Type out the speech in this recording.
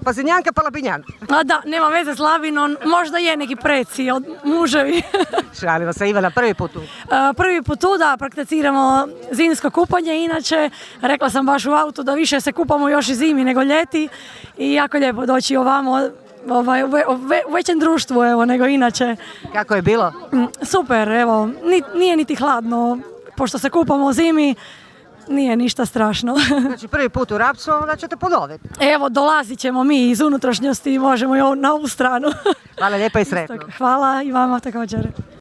Pazinjanka pa Labinjan. A da, nema veze s Labinom, možda je neki preci od muževi. Šalimo se, Ivana, prvi put tu. Prvi put tu da prakticiramo zimsko kupanje, inače rekla sam baš u autu da više se kupamo još i zimi nego ljeti i jako lijepo doći ovamo u većem društvu evo, nego inače. Kako je bilo? Super, evo, nije niti hladno, pošto se kupamo u zimi, nije ništa strašno. Znači prvi put u Rapcu, onda ćete ponoviti. Evo, dolazit ćemo mi iz unutrašnjosti i možemo i na ovu stranu. Hvala lijepa i sretno. Hvala i vama također.